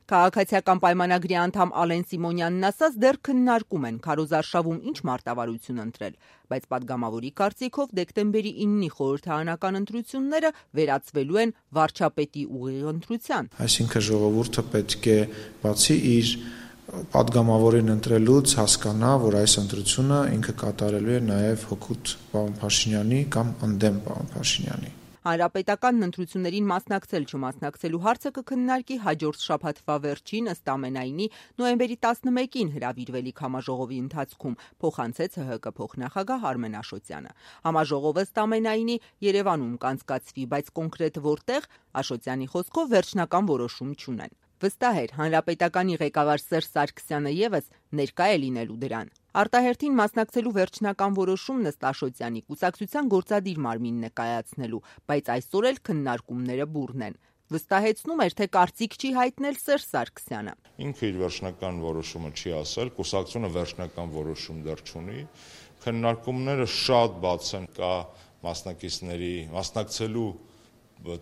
Քաղաքացիական պայմանագրի անդամ Ալեն Սիմոնյանն ասաց, դեռ քննարկում են քարոզարշավում ինչ մարտավարություն ընտրել, բայց պատգամավորի կարծիքով դեկտեմբերի 9-ի խորհրդարանական ընտրությունները վերածվելու են վարչապետի ուղիղ ընտրության։ Այսինքն ժողովուրդը պետք է բացի իր պատգամավորին ընտրելուց հասկանա, որ այս ընտրությունը ինքը կատարելու է նաև հօգուտ պարոն Փաշինյանի կամ ընդդեմ պարոն Փաշինյանի։ Հանրապետական ընտրություններին մասնակցել չմասնակցելու հարցը կքննարկի հաջորդ շաբաթվա վերջին, ըստ ամենայնի նոյեմբերի 11-ին հրավիրվելիք համաժողովի ընթացքում, փոխանցեց ՀՀԿ փոխնախագահ Արմեն Աշոտյանը։ Համաժողովը ըստ ամենայնի Երևանում կանցկացվի, բայց կոնկրետ որտեղ, Աշոտյանի խոսքով վերջնական որոշում չունեն։ Վստահ էր, հանրապետականի ղեկավար Սերժ Սարգսյանը ևս ներկա է լինելու դրան։ Արտահերթին մասնակցելու վերջնական որոշումն ըստ Աշոտյանի կուսակցության գործադիր մարմինն է կայացնելու, բայց այսօր էլ քննարկումները բուռն են։ Վստահեցնում էր, թե կարծիք չի հայտնել Սերժ Սարգսյանը։ Ինքը իր վերջնական որոշումը չի ասել, կուսակցությունը վերջնական որոշում դեռ չունի։ Քննարկումները շատ բաց են, կա մասնակիցների մասնակցելու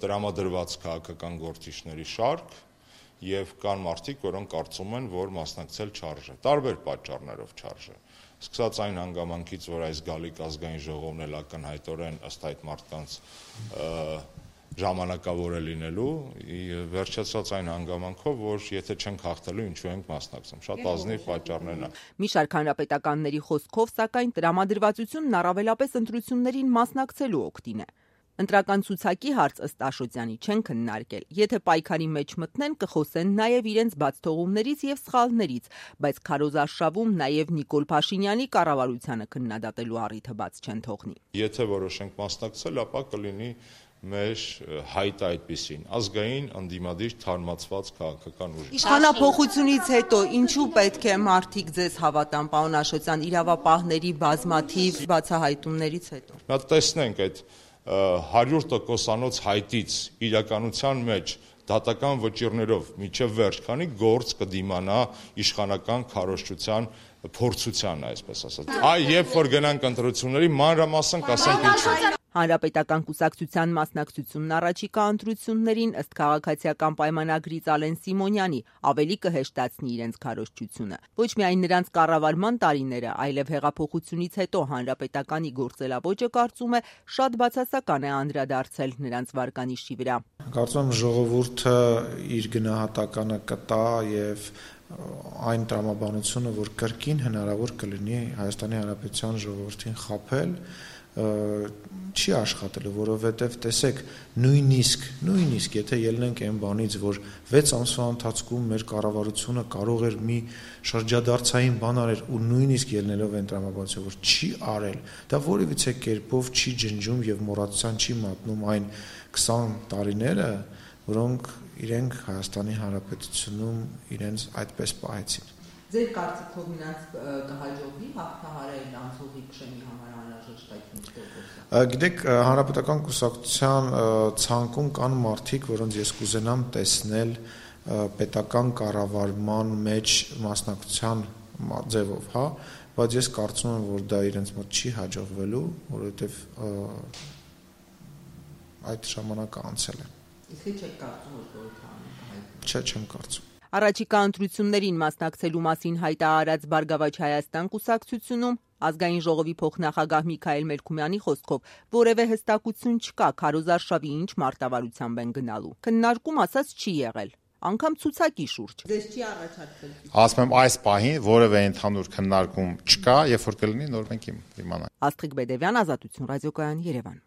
տրամադրված քաղաքական գործիչների շարք եւ կան մարդիկ, որոնք կարծում են, որ մասնակցել չարժե, տարբեր պատճառներով չարժե։ Սկսած այն հանգամանքից, որ այս գալիք ազգային ժողովն էլ ակնհայտորեն ըստ այդ մարդկանց ժամանակավոր է լինելու, վերջացած այն հանգամանքով, որ եթե չենք հաղթելու, ինչու ենք մասնակցում։ Շատ ազնիվ պատճառներն են։ Մի շարք հանրապետականների խոսքով, սակայն տրամադրվածությունն առավելապես ընտրություններին մասնակցելու օգտին է։ Ընտրական ցուցակի հարց ըստ Աշոտյանի չեն քննարկել։ Եթե պայքարի մեջ մտնեն, կխոսեն նաև իրենց բաց թողումներից եւ սխալներից, բայց քարոզարշավում նաև Նիկոլ Փաշինյանի կառավարությանը քննադատելու առիթը բաց չեն թողնի։ Եթե որոշենք մասնակցել, ապա կլինի մեր հայտը այդպիսին ազգային ընդդիմադիր թարմացված քաղաքական ուժ։ Իշխանափոխությունից հետո ինչու պետք է մարդիկ ձեզ հավատան, պարոն Աշոտյան, իրավապահների բազմաթիվ բացահայտումներից հետո։ Նա տեսնենք այդ 100%-անոց հայտից իրականության մեջ դատական վճիռներով միջև վերջ, քանի գործ կդիմանա իշխանական քարոզչության փորձության, այսպես ասած։ Երբ որ գնանք ընտրությունների, մանրամասն կասենք ինչու։ Հանրապետական կուսակցության մասնակցությունն առաջիկա ընտրություններին ըստ քաղաքացիական պայմանագրից Ալեն Սիմոնյանի ավելի կհեշտացնի իրենց քարոզչությունը։ Ոչ միայն նրանց կառավարման տարիները, այլև հեղափոխությունից հետո հանրապետականի գործելավոճը կարծում է շատ բացասական է անդրադարձել նրանց վարկանիշի վրա։ Կարծում եմ ժողովուրդը իր գնահատականը կտա եւ այն տրամաբանությունը, որ կրկին հնարավոր կլինի Հայաստանի Հանրապետության ժողովրդին խաբել, չի աշխատելու, որովհետև տեսեք, նույնիսկ եթե ելնենք այն բանից, որ 6 ամսվա ընթացքում մեր կառավարությունը կարող էր մի շրջադարձային բան արել ու նույնիսկ ելնելով այն տրամաբանությամբ, որ չի արել, դա որևիցե կերպով չի ջնջում եւ մոռացության չի մատնում այն 20 տարիները, որոնք իրենք Հայաստանի Հանրապետությունում իրենց այդպես պահեցին։ Ձեր կարծիքով նրանց կհաջողվի հաղթահարել անցողի քշեմի համար անհրաժեշտ այդ Գիտեք, հանրապետական կուսակցության ցանկում կան մարդիկ, որոնց ես կուզենամ տեսնել պետական կառավարման մեջ մասնակցության ձևով, հա, բայց ես կարծում եմ, որ դա իրենց մոտ չի հաջողվելու, որովհետև այդ ժամանակը անցել է։ Իսկ չեք կարծում, որ խորհրդարանը կհայտնի։ Չէ, չեմ կարծում։ Առաջիկա ընտրություններին մասնակցելու մասին հայտարարած Բարգավաճ Հայաստան կուսակցությունում ազգային ժողովի փոխնախագահ Միքայել Մելքումյանի խոսքով որևէ հստակություն չկա քարոզարշավի ինչ մարտավարությամբ են գնալու։ Քննարկում ասած չի եղել, անգամ ցուցակի շուրջ։ Ձեզ չի առաջարկվել։ Ասում եմ այս պահին որևէ ընդհանուր քննարկում չկա, երբ որ կլինի նոր մենք իմանանք։ Աստղիկ Բեդևյան, Ազատություն, Ռադիոկայան, Երևան։